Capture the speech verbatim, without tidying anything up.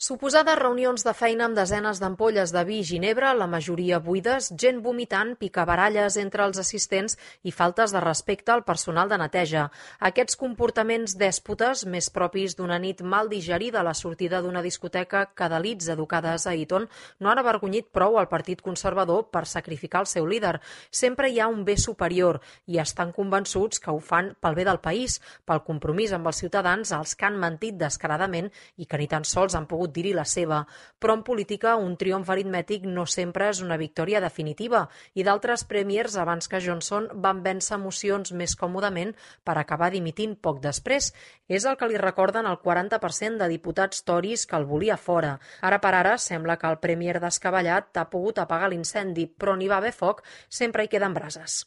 Suposades reunions de feina amb desenes d'ampolles de vi i ginebra, la majoria buides, gent vomitant, picabaralles entre els assistents i faltes de respecte al personal de neteja. Aquests comportaments dèspotes, més propis d'una nit mal digerida a la sortida d'una discoteca que d'elits educades a Eton, no han avergonyit prou al Partit Conservador per sacrificar el seu líder. Sempre hi ha un bé superior i estan convençuts que ho fan pel bé del país, pel compromís amb els ciutadans als que han mentit descaradament i que ni tan sols han pogut dir-hi la seva. Però en política un triomf aritmètic no sempre és una victòria definitiva i d'altres premiers abans que Johnson van vèncer mocions més còmodament per acabar dimitint poc després. És el que li recorden el quaranta per cent de diputats toris que el volia fora. Ara per ara sembla que el premier descabellat ha pogut apagar l'incendi, però n'hi va haver foc, sempre hi queden brases.